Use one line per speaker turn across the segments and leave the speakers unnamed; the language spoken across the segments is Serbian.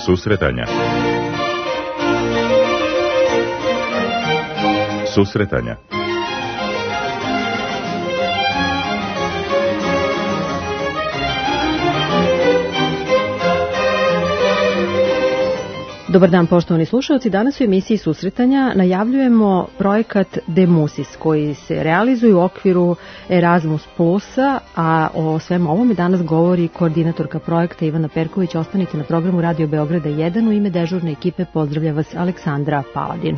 Susretanja. Susretanja.
Dobar dan, poštovani slušalci. Danas u emisiji Susretanja najavljujemo projekat Demusis koji se realizuje u okviru Erasmus Plusa, a o svem ovome danas govori koordinatorka projekta Ivana Perković. Ostanite na programu Radio Beograda 1. U ime dežurne ekipe pozdravlja vas Aleksandra Paladin.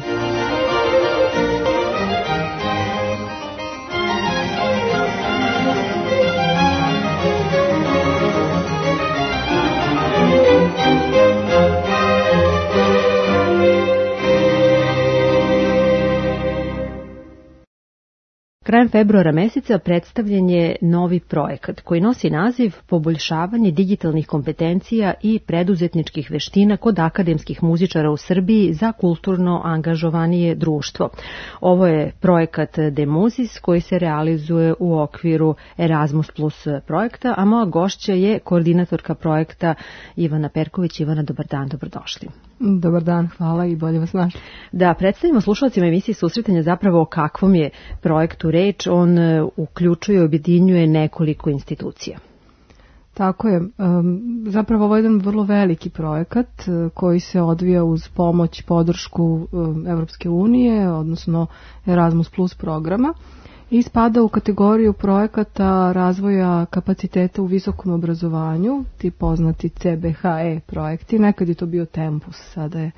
Krajem februara meseca predstavljen je novi projekat koji nosi naziv Poboljšavanje digitalnih kompetencija i preduzetničkih veština kod akademskih muzičara u Srbiji za kulturno angažovanije društvo. Ovo je projekat Demusis koji se realizuje u okviru Erasmus Plus projekta, a moja gošća je koordinatorka projekta Ivana Perković. Ivana, dobar dan, dobrodošli.
Dobar dan, hvala i bolje vas našli.
Da, predstavimo slušalcima emisije Susretanja zapravo o kakvom je projektu reč. On uključuje i objedinjuje nekoliko institucija.
Tako je. Zapravo ovo je jedan vrlo veliki projekat koji se odvija uz pomoć, podršku Evropske unije, odnosno Erasmus Plus programa, i spada u kategoriju projekata razvoja kapaciteta u visokom obrazovanju, ti poznati CBHE projekti. Nekad je to bio Tempus, sada je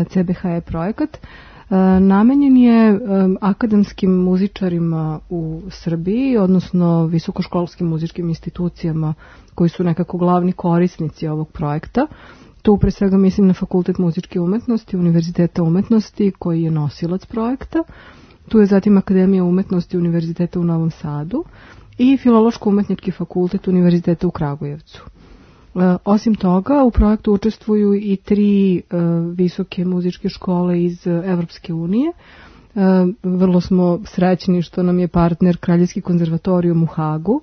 CBHE projekat. Namenjen je akademskim muzičarima u Srbiji, odnosno visokoškolskim muzičkim institucijama koji su nekako glavni korisnici ovog projekta. Tu pre svega mislim na Fakultet muzičke umetnosti, Univerziteta umetnosti koji je nosilac projekta. Tu je zatim Akademija umetnosti Univerziteta u Novom Sadu i Filološko-umetnički fakultet Univerziteta u Kragujevcu. Osim toga, u projektu učestvuju i 3 visoke muzičke škole iz Evropske unije. Vrlo smo srećni što nam je partner Kraljevski konzervatorijum u Hagu,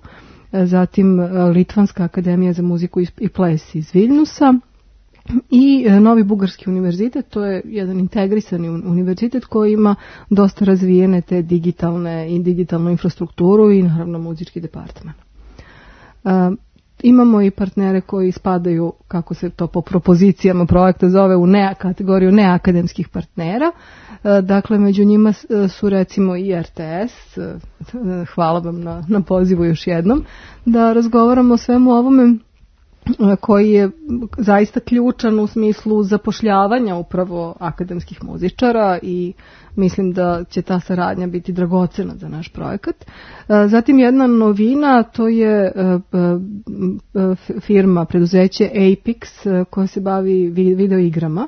zatim Litvanska akademija za muziku i ples iz Viljnusa i Novi Bugarski univerzitet. To je jedan integrisani univerzitet koji ima dosta razvijene te digitalnu infrastrukturu i naravno muzički departman. Imamo i partnere koji spadaju, kako se to po propozicijama projekta zove, u kategoriju neakademskih partnera. Dakle, među njima su recimo i RTS. Hvala vam na pozivu još jednom da razgovaramo o svemu ovome koji je zaista ključan u smislu zapošljavanja upravo akademskih muzičara i mislim da će ta saradnja biti dragocena za naš projekat. Zatim jedna novina, to je firma, preduzeće Apix koja se bavi video igrama.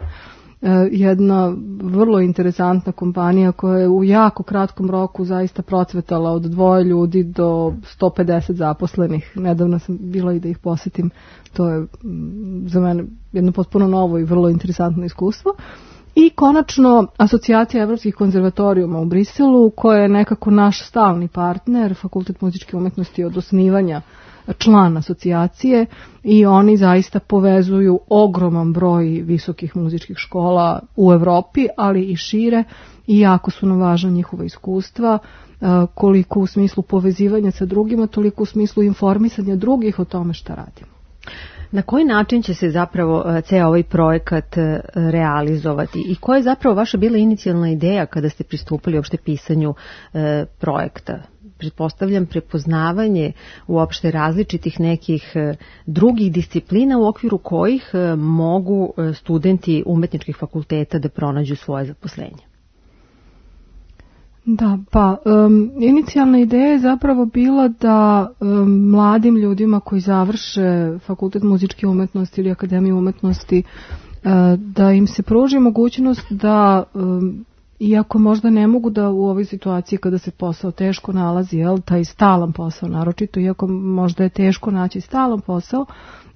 Jedna vrlo interesantna kompanija koja je u jako kratkom roku zaista procvetala od 2 ljudi do 150 zaposlenih. Nedavno sam bila i da ih posetim. To je za mene jedno potpuno novo i vrlo interesantno iskustvo. I konačno Asocijacija evropskih konzervatorijuma u Briselu, koja je nekako naš stalni partner, Fakultet muzičke umetnosti od osnivanja član asocijacije, i oni zaista povezuju ogroman broj visokih muzičkih škola u Evropi, ali i šire, i jako su nam važna njihova iskustva, koliko u smislu povezivanja sa drugima, toliko u smislu informisanja drugih o tome šta radimo.
Na koji način će se zapravo ceo ovaj projekat realizovati i koja je zapravo vaša bila inicijalna ideja kada ste pristupili uopšte pisanju projekta? Pretpostavljam prepoznavanje uopšte različitih nekih drugih disciplina u okviru kojih mogu studenti umetničkih fakulteta da pronađu svoje zaposlenje.
Da, pa inicijalna ideja je zapravo bila da mladim ljudima koji završe Fakultet muzičke umetnosti ili Akademiju umetnosti, da im se pruži mogućnost da, iako možda ne mogu da u ovoj situaciji kada se posao teško nalazi, taj stalan posao naročito, iako možda je teško naći stalan posao,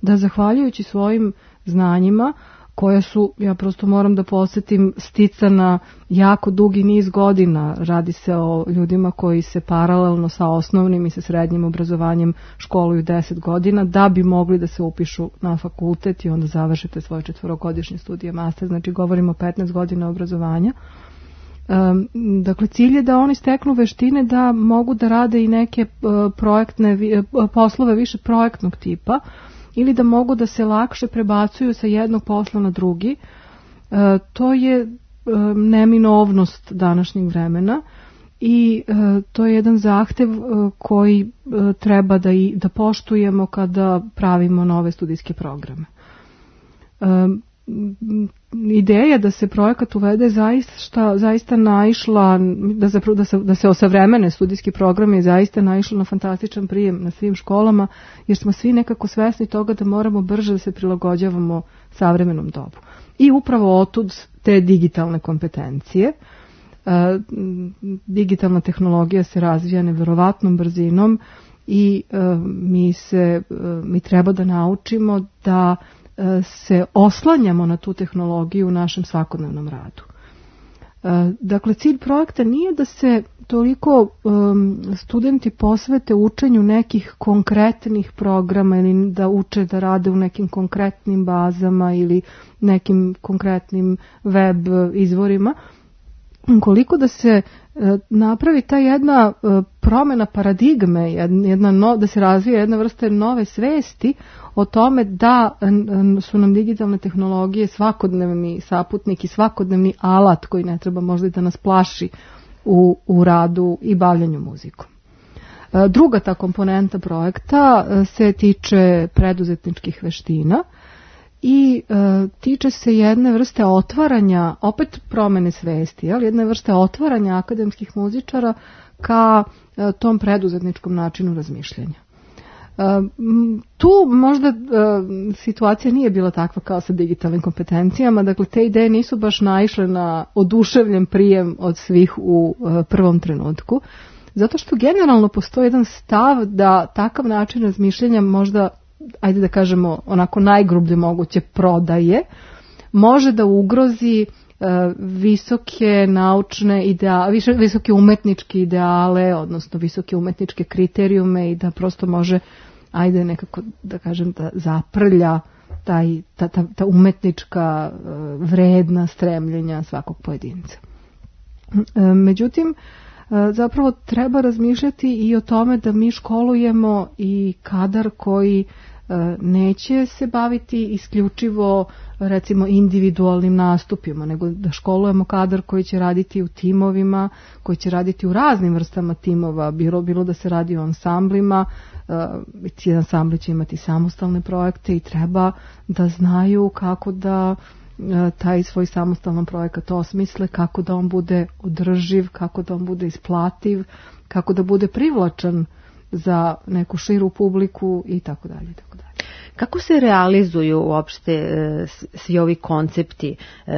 da zahvaljujući svojim znanjima koja su, ja prosto moram da podsjetim, sticana jako dugi niz godina. Radi se o ljudima koji se paralelno sa osnovnim i sa srednjim obrazovanjem školuju 10 godina da bi mogli da se upišu na fakultet i onda završite svoje 4-godišnje studije master, znači govorimo o 15 godina obrazovanja. Dakle, cilj je da oni steknu veštine da mogu da rade i neke poslove više projektnog tipa ili da mogu da se lakše prebacuju sa jednog posla na drugi. To je neminovnost današnjeg vremena i to je jedan zahtev koji treba da poštujemo kada pravimo nove studijske programe. Ideja da se projekat uvede zaista naišla, da se osavremene studijski programi, je zaista naišla na fantastičan prijem na svim školama, jer smo svi nekako svesni toga da moramo brže da se prilagođavamo savremenom dobu. I upravo otud te digitalne kompetencije. Digitalna tehnologija se razvija neverovatnom brzinom i mi treba da naučimo da se oslanjamo na tu tehnologiju u našem svakodnevnom radu. Dakle, cilj projekta nije da se toliko studenti posvete učenju nekih konkretnih programa ili da uče da rade u nekim konkretnim bazama ili nekim konkretnim web izvorima, koliko da se napravi ta jedna promjena paradigme, da se razvije jedna vrsta nove svesti o tome da su nam digitalne tehnologije svakodnevni saputnik i svakodnevni alat koji ne treba možda da nas plaši u radu i bavljanju muzikom. Druga ta komponenta projekta se tiče preduzetničkih veština i tiče se jedne vrste otvaranja, opet promene svesti, jedne vrste otvaranja akademskih muzičara ka tom preduzetničkom načinu razmišljanja. Tu možda situacija nije bila takva kao sa digitalnim kompetencijama, dakle te ideje nisu baš naišle na oduševljen prijem od svih u prvom trenutku, zato što generalno postoji jedan stav da takav način razmišljanja možda, ajde da kažemo onako najgrublje moguće, prodaje, može da ugrozi visoke naučne ideale, visoke umetničke ideale, odnosno visoke umetničke kriterijume i da prosto može, ajde nekako da kažem, da zaprlja ta umetnička vredna stremljenja svakog pojedinca. Međutim, zapravo treba razmišljati i o tome da mi školujemo i kadar koji neće se baviti isključivo recimo individualnim nastupima, nego da školujemo kadar koji će raditi u timovima, koji će raditi u raznim vrstama timova, bilo da se radi o ansamblima, ti ansambli će imati samostalne projekte i treba da znaju kako da taj svoj samostalan projekat osmisle, kako da on bude održiv, kako da on bude isplativ, kako da bude privlačan za neku širu publiku i tako dalje.
Kako se realizuju uopšte svi ovi koncepti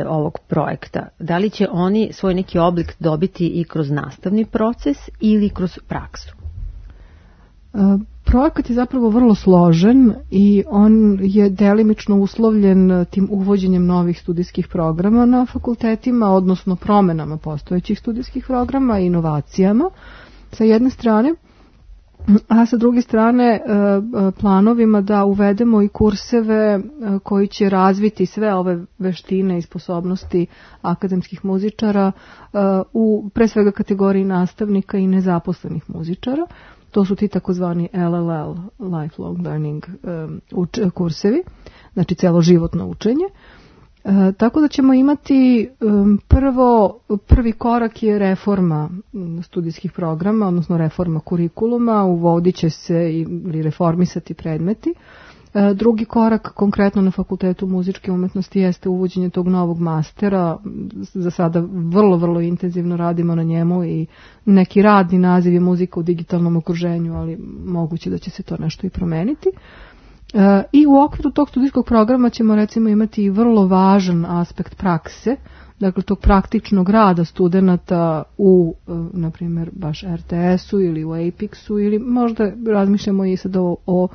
ovog projekta? Da li će oni svoj neki oblik dobiti i kroz nastavni proces ili kroz praksu?
Projekat je zapravo vrlo složen i on je delimično uslovljen tim uvođenjem novih studijskih programa na fakultetima, odnosno promenama postojećih studijskih programa i inovacijama sa jedne strane, a sa druge strane planovima da uvedemo i kurseve koji će razviti sve ove veštine i sposobnosti akademskih muzičara u pre svega kategoriji nastavnika i nezaposlenih muzičara. To su ti takozvani LLL, lifelong learning kursevi, znači celoživotno učenje. Tako da ćemo imati prvi korak je reforma studijskih programa, odnosno reforma kurikuluma, uvodit će se ili reformisati predmeti. Drugi korak konkretno na Fakultetu muzičke umetnosti jeste uvođenje tog novog mastera. Za sada vrlo, vrlo intenzivno radimo na njemu i neki radni naziv je muzika u digitalnom okruženju, ali moguće da će se to nešto i promeniti. I u okviru tog studijskog programa ćemo recimo imati i vrlo važan aspekt prakse, dakle tog praktičnog rada studenata u, na primjer, baš RTS-u ili u Apexu ili možda razmišljamo i sad o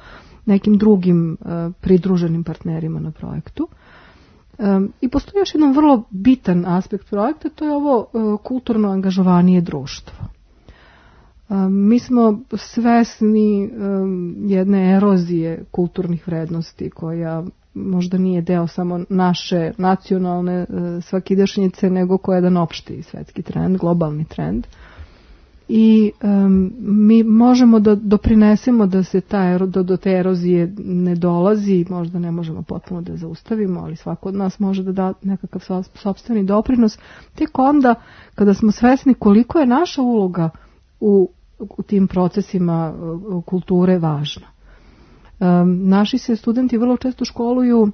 nekim drugim pridruženim partnerima na projektu. I postoji još jedan vrlo bitan aspekt projekta, to je ovo kulturno angažovanije društvo. Mi smo svesni jedne erozije kulturnih vrednosti koja možda nije deo samo naše nacionalne svakidašnjice, nego koja je jedan opšti svetski trend, globalni trend. I mi možemo da doprinesemo da se do te erozije ne dolazi, možda ne možemo potpuno da zaustavimo, ali svako od nas može da da nekakav sopstveni doprinos, tek onda kada smo svesni koliko je naša uloga u tim procesima kulture važna. Naši se studenti vrlo često školuju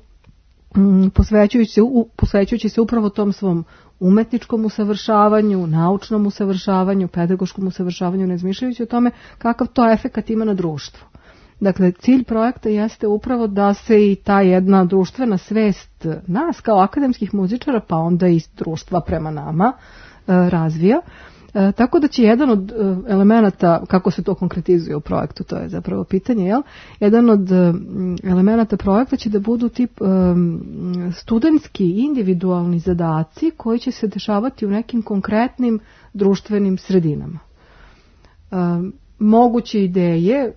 posvećujući se upravo tom svom umetničkom usavršavanju, naučnom usavršavanju, pedagoškom usavršavanju, ne razmišljajući o tome kakav to efekat ima na društvo. Dakle, cilj projekta jeste upravo da se i ta jedna društvena svest nas kao akademskih muzičara, pa onda i društva prema nama razvija. Tako da će jedan od elemenata, kako se to konkretizuje u projektu, to je zapravo pitanje, jel? Jedan od elemenata projekta će da budu tip studentski individualni zadaci koji će se dešavati u nekim konkretnim društvenim sredinama. Moguće ideje,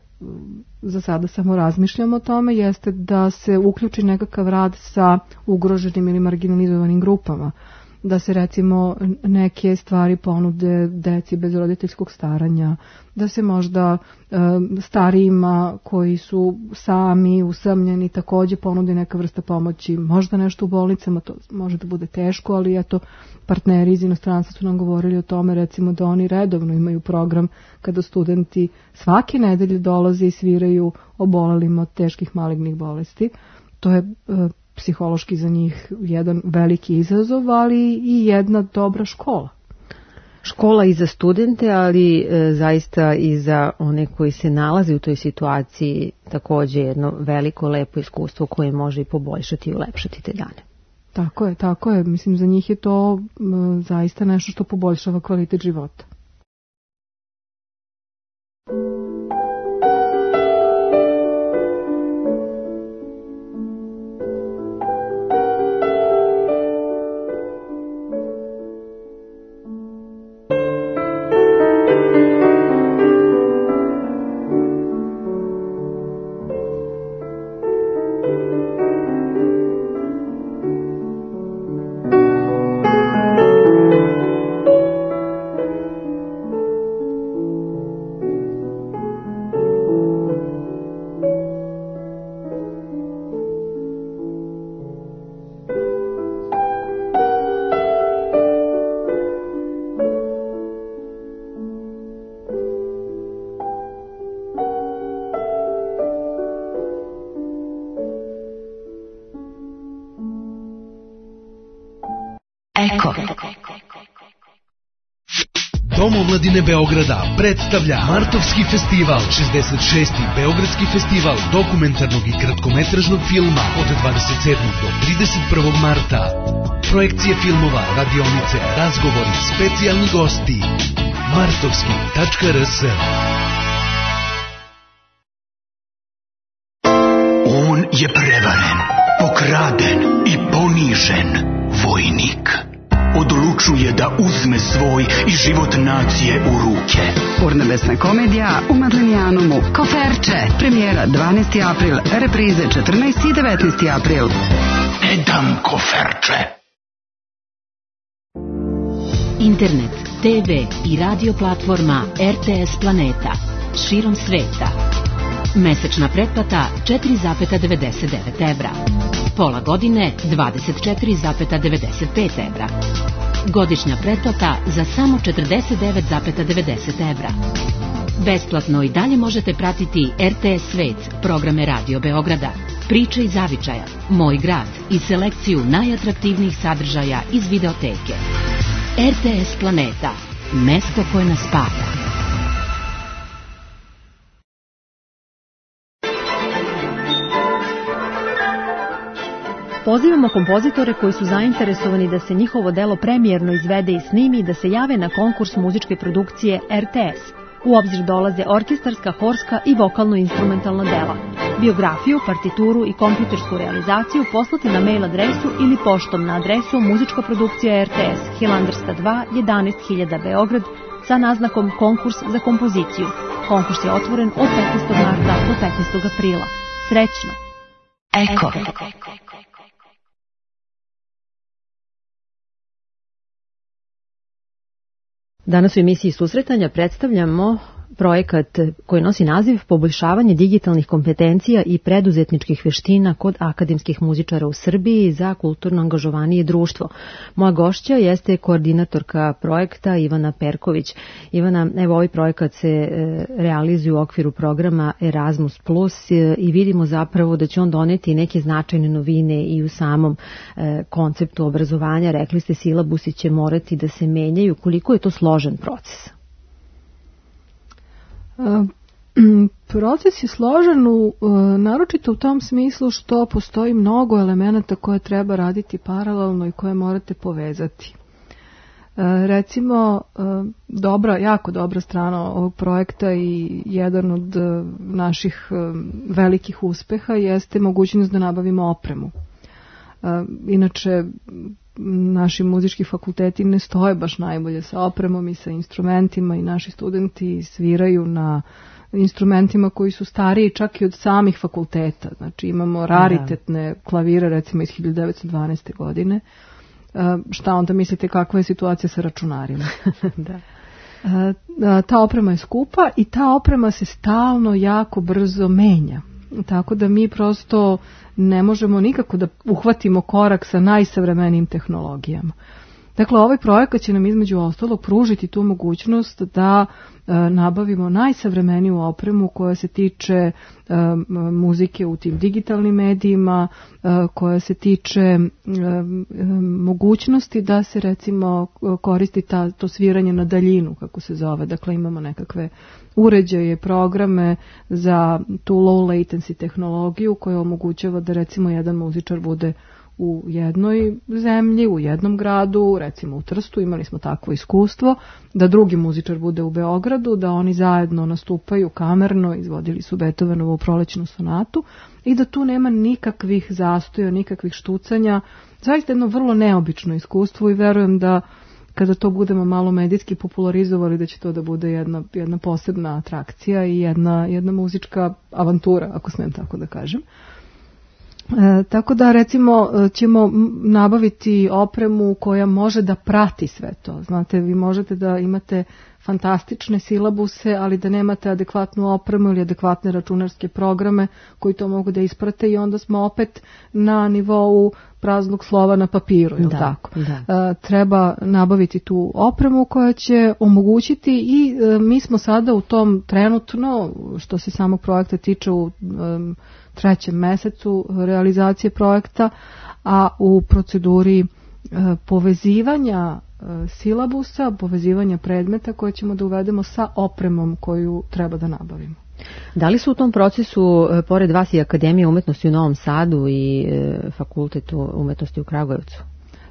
za sada samo razmišljamo o tome, jeste da se uključi nekakav rad sa ugroženim ili marginalizovanim grupama, da se recimo neke stvari ponude deci bez roditeljskog staranja, da se možda starijima koji su sami, usamljeni, takođe ponudi neka vrsta pomoći, možda nešto u bolnicama, to može da bude teško, ali eto, partneri iz inostranstva su nam govorili o tome, recimo da oni redovno imaju program kada studenti svake nedelje dolaze i sviraju obolelima od teških malignih bolesti. To je psihološki za njih jedan veliki izazov, ali i jedna dobra škola.
Škola i za studente, ali zaista i za one koji se nalaze u toj situaciji takođe jedno veliko, lepo iskustvo koje može i poboljšati i ulepšati te dane.
Tako je. Mislim, za njih je to zaista nešto što poboljšava kvalitet života.
Dom omladine Beograda predstavlja Martovski festival, 66. Beogradski festival dokumentarnog i kratkometražnog filma od 27. do 31. marta. Projekcije filmova, radionice, razgovori, specijalni gosti. martovski.rs.
On je prevaren, pokraden i ponižen vojnik. Odlučuje da uzme svoj i život nacije u ruke.
Urnebesna komedija u Madlenijanumu. Koferče. Premijera 12. april, reprize 14. i 19. april.
Ne dam koferče.
Internet, TV i radio platforma RTS Planeta. Širom sveta. Mesečna pretplata 4,99 evra. Pola godine 24,95 evra. Godišnja pretplata za samo 49,90 evra. Besplatno i dalje možete pratiti RTS Svet, programe Radio Beograda, Priče iz zavičaja, Moj grad i selekciju najatraktivnijih sadržaja iz videoteke. RTS Planeta, mesto koje nas spaja.
Pozivamo kompozitore koji su zainteresovani da se njihovo delo premijerno izvede i snimi da se jave na konkurs muzičke produkcije RTS U obzir dolaze orkestarska, horska i vokalno-instrumentalna dela. Biografiju, partituru i kompjutersku realizaciju poslati na mail adresu ili poštom na adresu Muzička produkcija RTS, Hilandarska 2, 11.000 Beograd, sa naznakom Konkurs za kompoziciju. Konkurs je otvoren od 15. marta do 15. aprila. Srećno!
Eko.
Danas u emisiji Susretanja predstavljamo projekat koji nosi naziv Poboljšavanje digitalnih kompetencija i preduzetničkih veština kod akademskih muzičara u Srbiji za kulturno angažovanije društvo. Moja gošća jeste koordinatorka projekta Ivana Perković. Ivana, evo ovaj projekat se realizuje u okviru programa Erasmus Plus i vidimo zapravo da će on doneti neke značajne novine i u samom konceptu obrazovanja. Rekli ste, silabusi će morati da se menjaju. Koliko je to složen proces?
Proces je složen naročito u tom smislu što postoji mnogo elemenata koje treba raditi paralelno i koje morate povezati. Recimo, jako dobra strana ovog projekta i jedan od naših velikih uspeha jeste mogućnost da nabavimo opremu. Inače, naši muzički fakulteti ne stoje baš najbolje sa opremom i sa instrumentima i naši studenti sviraju na instrumentima koji su stariji čak i od samih fakulteta. Znači imamo raritetne klavire recimo iz 1912. godine. Šta onda mislite kakva je situacija sa računarima? Ta oprema je skupa i ta oprema se stalno jako brzo menja. Tako da mi prosto ne možemo nikako da uhvatimo korak sa najsavremenijim tehnologijama. Dakle, ovaj projekat će nam između ostalog pružiti tu mogućnost da nabavimo najsavremeniju opremu koja se tiče muzike u tim digitalnim medijima, koja se tiče mogućnosti da se recimo koristi to sviranje na daljinu, kako se zove. Dakle, imamo nekakve uređaje, programe za tu low latency tehnologiju koja omogućava da recimo jedan muzičar bude u jednoj zemlji, u jednom gradu, recimo u Trstu, imali smo takvo iskustvo, da drugi muzičar bude u Beogradu, da oni zajedno nastupaju kamerno, izvodili su Beethovenovu Prolećnu sonatu i da tu nema nikakvih zastoja, nikakvih štucanja. Zaista jedno vrlo neobično iskustvo i verujem da kada to budemo malo medijski popularizovali, da će to da bude jedna posebna atrakcija i jedna muzička avantura, ako smijem tako da kažem. Tako da recimo ćemo nabaviti opremu koja može da prati sve to. Znate, vi možete da imate fantastične silabuse, ali da nemate adekvatnu opremu ili adekvatne računarske programe koji to mogu da isprate i onda smo opet na nivou praznog slova na papiru. Tako? Treba nabaviti tu opremu koja će omogućiti i mi smo sada u tom trenutno, što se samog projekta tiče, u 3. mesecu realizacije projekta, a u proceduri povezivanja silabusa, povezivanja predmeta koje ćemo da uvedemo sa opremom koju treba da nabavimo.
Da li su u tom procesu, pored vas, i Akademija umetnosti u Novom Sadu i Fakultet umetnosti u Kragujevcu?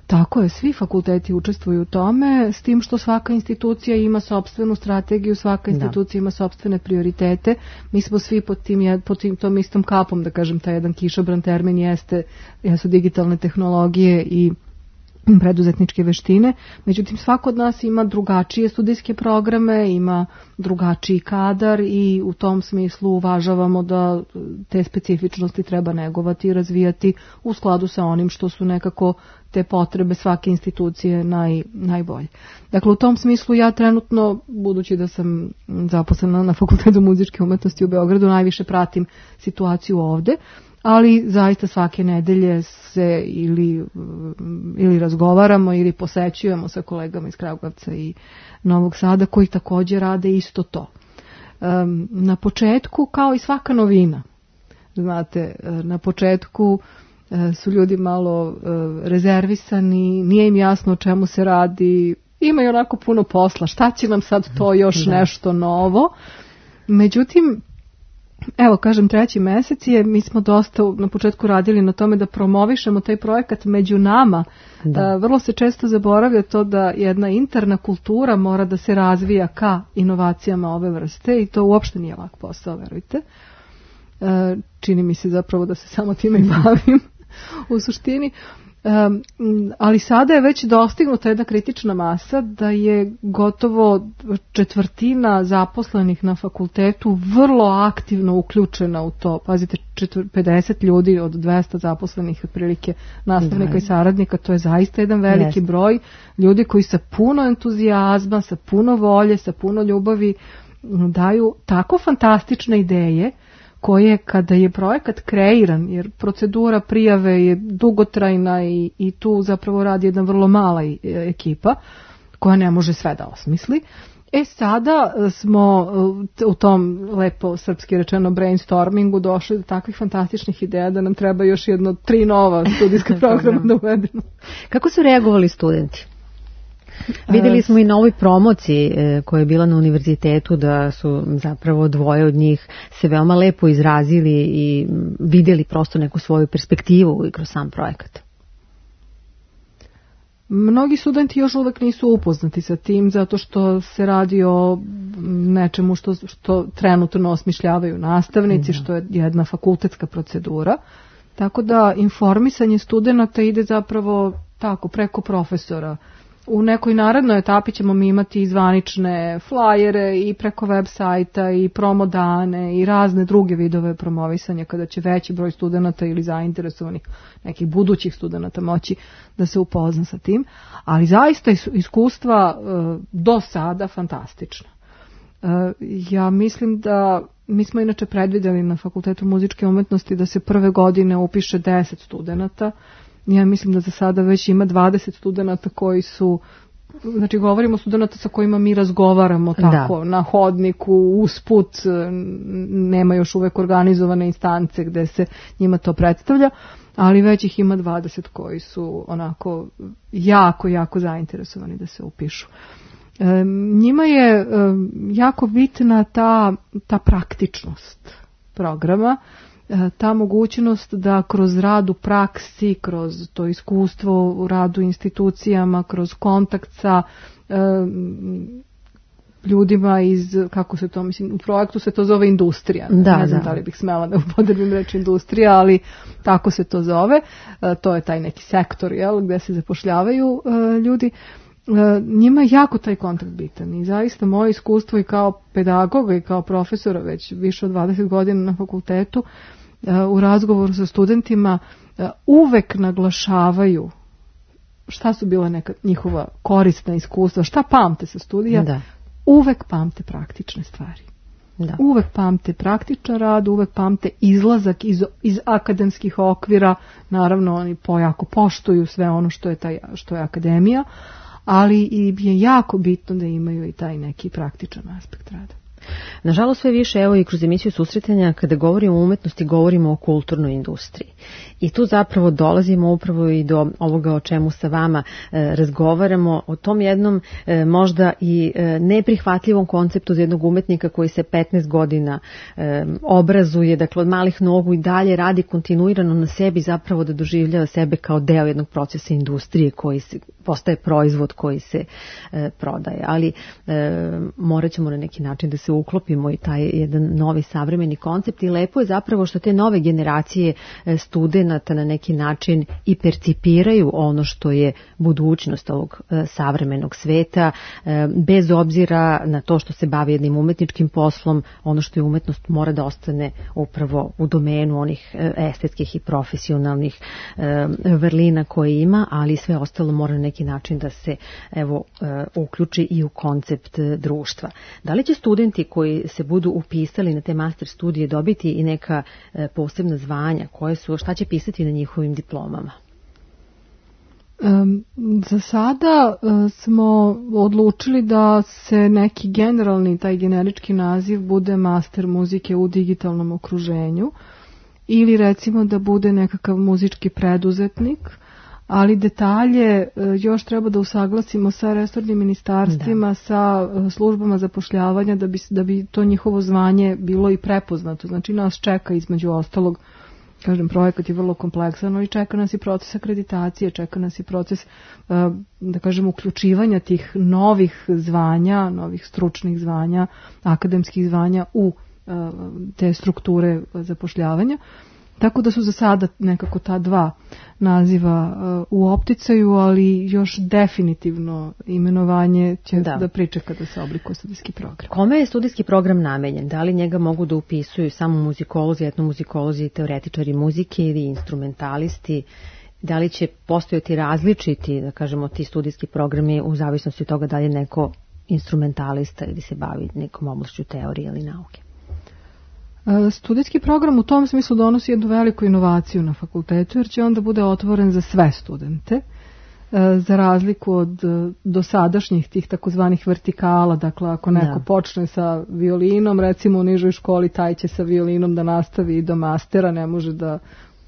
Tako je, svi fakulteti učestvuju u tome, s tim što svaka institucija ima sopstvenu strategiju, svaka institucija ima sopstvene prioritete. Mi smo svi pod tom istom kapom, da kažem, taj jedan kišobran termin jesu digitalne tehnologije i preduzetničke veštine. Međutim, svako od nas ima drugačije studijske programe, ima drugačiji kadar i u tom smislu uvažavamo da te specifičnosti treba negovati i razvijati u skladu sa onim što su nekako te potrebe svake institucije najbolje. Dakle, u tom smislu ja trenutno, budući da sam zaposlena na Fakultetu muzičke umetnosti u Beogradu, najviše pratim situaciju ovde, ali zaista svake nedelje se ili razgovaramo ili posećujemo sa kolegama iz Kragujevca i Novog Sada koji također rade isto to. Na početku, kao i svaka novina, znate, na početku su ljudi malo rezervisani, nije im jasno o čemu se radi, imaju onako puno posla, šta će nam sad to još nešto novo. Međutim, Evo, kažem, 3. mesec je, mi smo dosta na početku radili na tome da promovišemo taj projekat među nama. Vrlo se često zaboravlja to da jedna interna kultura mora da se razvija ka inovacijama ove vrste i to uopšte nije lak posao, verujte. Čini mi se zapravo da se samo time i bavim u suštini. Ali sada je već dostignuta jedna kritična masa da je gotovo 1/4 zaposlenih na fakultetu vrlo aktivno uključena u to. Pazite, 50 ljudi od 200 zaposlenih otprilike nastavnika i saradnika, to je zaista jedan veliki broj ljudi koji sa puno entuzijazma, sa puno volje, sa puno ljubavi daju tako fantastične ideje koje kada je projekat kreiran, jer procedura prijave je dugotrajna i tu zapravo radi jedna vrlo mala ekipa koja ne može sve da osmisli. Sada smo u tom lepo srpski rečeno brainstormingu došli do takvih fantastičnih ideja da nam treba još 3 nova studijska programa da uvedemo.
Kako su reagovali studenti? Vidjeli smo i na ovoj promociji koja je bila na univerzitetu da su zapravo 2 od njih se veoma lepo izrazili i vidjeli prosto neku svoju perspektivu i kroz sam projekat.
Mnogi studenti još uvek nisu upoznati sa tim zato što se radi o nečemu što trenutno osmišljavaju nastavnici, što je jedna fakultetska procedura. Tako da informisanje studenata ide zapravo tako preko profesora. U nekoj narednoj etapi ćemo mi imati i zvanične flajere i preko web sajta i promo dane i razne druge vidove promovisanja kada će veći broj studenata ili zainteresovanih nekih budućih studenata moći da se upozna sa tim. Ali zaista iskustva do sada fantastična. Ja mislim da mi smo inače predvidjeli na Fakultetu muzičke umetnosti da se prve godine upiše 10 studenata. Ja mislim da za sada već ima 20 studenata koji su, znači govorimo o studenata sa kojima mi razgovaramo tako na hodniku, usput, nema još uvek organizovane instance gde se njima to predstavlja, ali već ih ima 20 koji su onako jako zainteresovani da se upišu. Njima je jako bitna ta praktičnost programa, ta mogućnost da kroz rad u praksi, kroz to iskustvo u radu institucijama, kroz kontakt sa ljudima iz, kako se to, mislim, u projektu se to zove industrija. Ne znam da li bih smela da upotrebim reč industrija, ali tako se to zove. To je taj neki sektor, gde se zapošljavaju ljudi. Njima je jako taj kontakt bitan i zaista moje iskustvo i kao pedagoga i kao profesora već više od 20 godina na fakultetu u razgovoru sa studentima uvek naglašavaju šta su bila neka njihova korisna iskustva, šta pamte sa studija, uvek pamte praktične stvari. Uvek pamte praktičan rad, uvek pamte izlazak iz akademskih okvira, naravno oni jako poštuju sve ono što je akademija, ali je jako bitno da imaju i taj neki praktičan aspekt rada.
Nažalost sve više, evo i kroz emisiju susretanja, kada govorimo o umetnosti, govorimo o kulturnoj industriji. I tu zapravo dolazimo upravo i do ovoga o čemu sa vama razgovaramo, o tom jednom možda i neprihvatljivom konceptu za jednog umetnika koji se 15 godina obrazuje, dakle od malih nogu i dalje radi kontinuirano na sebi, zapravo da doživljava sebe kao deo jednog procesa industrije koji postaje proizvod koji se prodaje. Ali morat ćemo na neki način da se uklopimo i taj jedan novi savremeni koncept i lepo je zapravo što te nove generacije studenata na neki način i percipiraju ono što je budućnost ovog savremenog sveta, bez obzira na to što se bavi jednim umetničkim poslom, ono što je umetnost mora da ostane upravo u domenu onih estetskih i profesionalnih vrlina koje ima, ali sve ostalo mora na neki način da se uključi i u koncept društva. Da li će studenti koji se budu upisali na te master studije dobiti i neka posebna zvanja, šta će pisati na njihovim diplomama?
Za sada smo odlučili da se neki generalni, taj generički naziv bude master muzike u digitalnom okruženju ili recimo da bude nekakav muzički preduzetnik, ali detalje još treba da usaglasimo sa resornim ministarstvima, sa službama zapošljavanja da bi to njihovo zvanje bilo i prepoznato. Znači nas čeka između ostalog, kažem, projekat je vrlo kompleksan, ali čeka nas i proces akreditacije, čeka nas i proces, da kažem, uključivanja tih novih zvanja, novih stručnih zvanja, akademskih zvanja u te strukture zapošljavanja. Tako da su za sada nekako ta dva naziva u opticaju, ali još definitivno imenovanje će da pričeka da se oblikuje studijski program.
Kome je studijski program namenjen? Da li njega mogu da upisuju samo muzikolozi, etnomuzikolozi, teoretičari muzike ili instrumentalisti? Da li će postojati različiti, da kažemo, ti studijski programi u zavisnosti od toga da li je neko instrumentalista ili se bavi nekom oblašću teorije ili nauke?
Studijski program u tom smislu donosi jednu veliku inovaciju na fakultetu, jer će onda bude otvoren za sve studente, za razliku od dosadašnjih tih takozvanih vertikala. Dakle, ako neko počne sa violinom, recimo u nižoj školi, taj će sa violinom da nastavi i do mastera, ne može da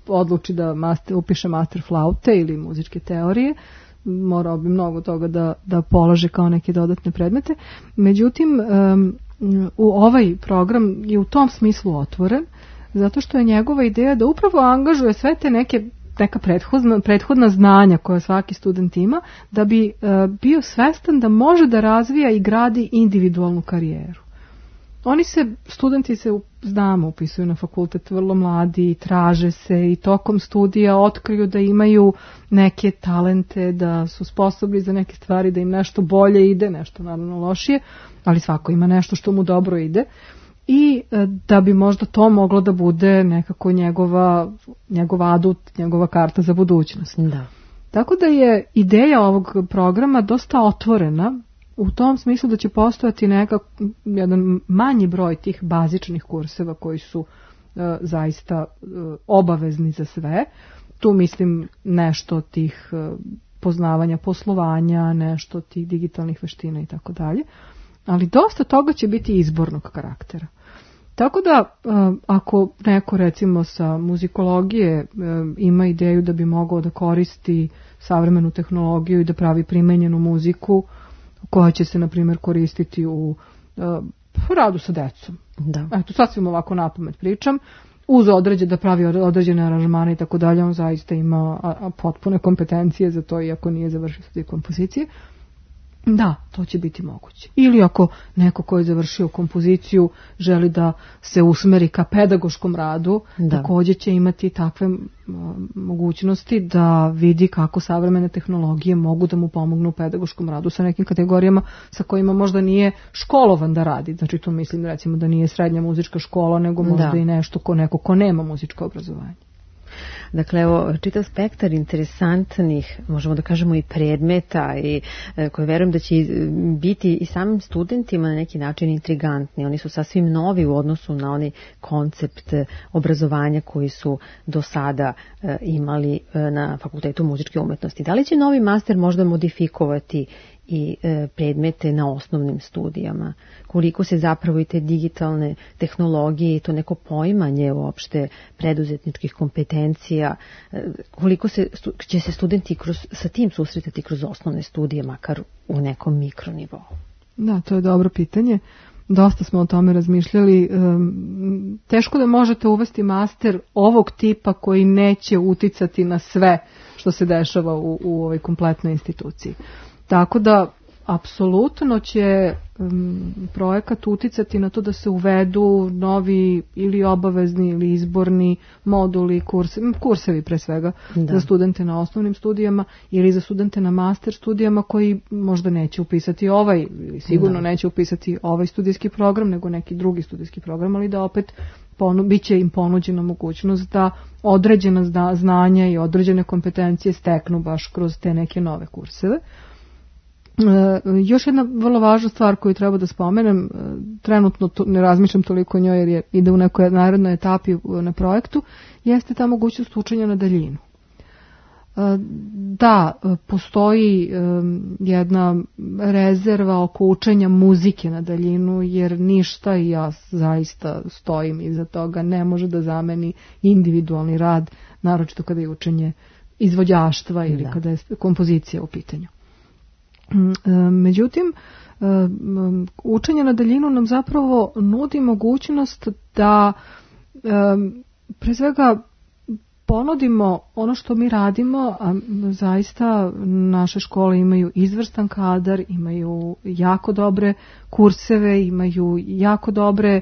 odluči da upiše master flaute ili muzičke teorije, morao bi mnogo toga da polaže kao neke dodatne predmete. Međutim, ovaj program je u tom smislu otvoren, zato što je njegova ideja da upravo angažuje sve te neka prethodna znanja koja svaki student ima, da bi bio svestan da može da razvija i gradi individualnu karijeru. Studenti se, znamo, upisuju na fakultet vrlo mladi, traže se i tokom studija otkriju da imaju neke talente, da su sposobni za neke stvari, da im nešto bolje ide, nešto naravno lošije, ali svako ima nešto što mu dobro ide i da bi možda to moglo da bude nekako njegov adut, njegova karta za budućnost.
Da.
Tako da je ideja ovog programa dosta otvorena, u tom smislu da će postojati jedan manji broj tih bazičnih kurseva koji su zaista obavezni za sve. Tu mislim nešto tih poznavanja poslovanja, nešto tih digitalnih veština i tako dalje. Ali dosta toga će biti izbornog karaktera. Tako da ako neko recimo sa muzikologije ima ideju da bi mogao da koristi savremenu tehnologiju i da pravi primenjenu muziku, koja će se, na primjer, koristiti u radu sa decom.
Da.
Eto, sasvim ovako napamet pričam. Da pravi određene aranžmane i tako dalje, on zaista ima potpune kompetencije za to, iako nije završio studij kompozicije. Da, to će biti moguće. Ili ako neko ko je završio kompoziciju želi da se usmeri ka pedagoškom radu, također će imati takve mogućnosti da vidi kako savremene tehnologije mogu da mu pomognu u pedagoškom radu sa nekim kategorijama sa kojima možda nije školovan da radi. Znači tu mislim recimo da nije srednja muzička škola, nego možda i nešto neko ko nema muzičko obrazovanje.
Dakle, evo, čitav spektar interesantnih, možemo da kažemo i predmeta i koje verujem da će biti i samim studentima na neki način intrigantni. Oni su sasvim novi u odnosu na onaj koncept obrazovanja koji su do sada imali na Fakultetu muzičke umetnosti. Da li će novi master možda modifikovati i predmete na osnovnim studijama? Koliko se zapravo i te digitalne tehnologije i to neko poimanje uopšte preduzetničkih kompetencija, koliko će se studenti sa tim susretati kroz osnovne studije, makar u nekom mikronivou?
Da, to je dobro pitanje. Dosta smo o tome razmišljali. Teško da možete uvesti master ovog tipa koji neće uticati na sve što se dešava u ovoj kompletnoj instituciji. Tako da, apsolutno će projekat uticati na to da se uvedu novi ili obavezni ili izborni moduli, kursevi pre svega, za studente na osnovnim studijama ili za studente na master studijama koji možda neće upisati ili sigurno neće upisati ovaj studijski program, nego neki drugi studijski program, ali da opet bit će im ponuđena mogućnost da određena znanja i određene kompetencije steknu baš kroz te neke nove kurseve. Još jedna vrlo važna stvar koju treba da spomenem, trenutno ne razmišljam toliko o njoj jer ide u nekoj narednoj etapi na projektu, jeste ta mogućnost učenja na daljinu. Da, postoji jedna rezerva oko učenja muzike na daljinu, jer ništa, i ja zaista stojim iza toga, ne može da zameni individualni rad, naročito kada je učenje izvođaštva ili kada je kompozicija u pitanju. Međutim, učenje na daljinu nam zapravo nudi mogućnost da pre svega ponudimo ono što mi radimo, a zaista naše škole imaju izvrstan kadar, imaju jako dobre kurseve, imaju jako dobre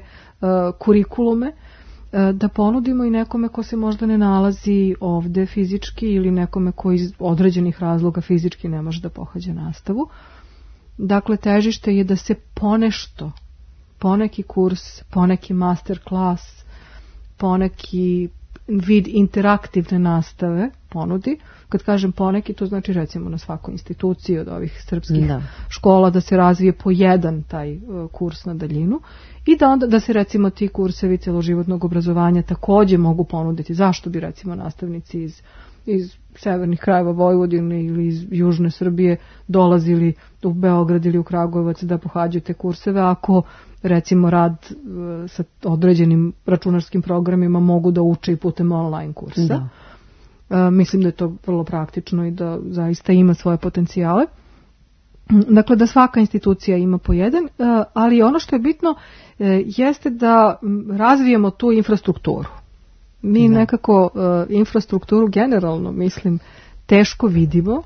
kurikulume, da ponudimo i nekome ko se možda ne nalazi ovde fizički ili nekome ko iz određenih razloga fizički ne može da pohađa nastavu. Dakle, težište je da se ponešto, poneki kurs, poneki master klas, poneki vid interaktivne nastave ponudi. Kad kažem poneki, to znači recimo na svakoj instituciji od ovih srpskih škola da se razvije po jedan taj kurs na daljinu i da onda da se recimo ti kursevi celoživotnog obrazovanja takođe mogu ponuditi. Zašto bi recimo nastavnici iz severnih krajeva Vojvodine ili iz južne Srbije dolazili u Beograd ili u Kragujevac da pohađaju te kurseve ako recimo rad sa određenim računarskim programima mogu da uče i putem online kursa. Mislim da je to vrlo praktično i da zaista ima svoje potencijale. Dakle, da svaka institucija ima po jedan, ali ono što je bitno jeste da razvijemo tu infrastrukturu. Mi nekako infrastrukturu generalno, mislim, teško vidimo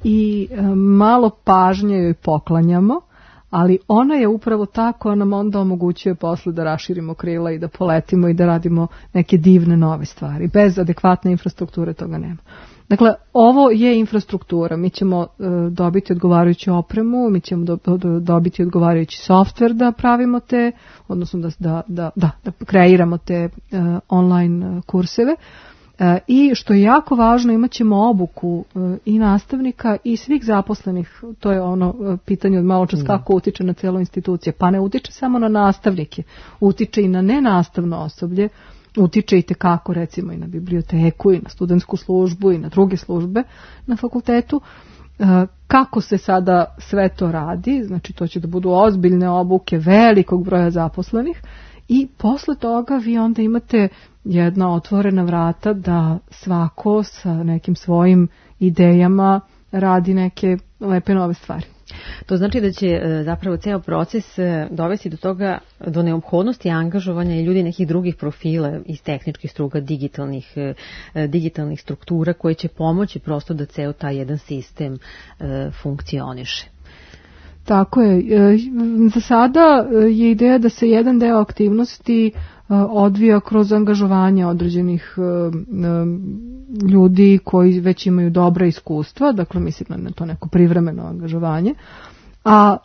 i malo pažnje joj poklanjamo, ali ona je upravo ta koja nam onda omogućuje posle da raširimo krila i da poletimo i da radimo neke divne nove stvari. Bez adekvatne infrastrukture toga nema. Dakle, ovo je infrastruktura. Mi ćemo dobiti odgovarajuću opremu, mi ćemo dobiti odgovarajući softver da pravimo te, odnosno da kreiramo te online kurseve. I što je jako važno, imat ćemo obuku i nastavnika i svih zaposlenih. To je ono pitanje od malo čas kako utiče na celu institucije. Pa ne utiče samo na nastavnike, utiče i na nenastavno osoblje, utiče i tekako recimo i na biblioteku i na studentsku službu i na druge službe na fakultetu. Kako se sada sve to radi, znači to će da budu ozbiljne obuke velikog broja zaposlenih i posle toga vi onda imate jedna otvorena vrata da svako sa nekim svojim idejama radi neke lepe nove stvari.
To znači da će zapravo ceo proces dovesti do toga, do neophodnosti angažovanja i ljudi nekih drugih profila iz tehničkih struka, digitalnih struktura koje će pomoći prosto da ceo taj jedan sistem funkcioniše.
Tako je. Za sada je ideja da se jedan deo aktivnosti odvija kroz angažovanje određenih ljudi koji već imaju dobra iskustva, dakle mislim na to neko privremeno angažovanje, a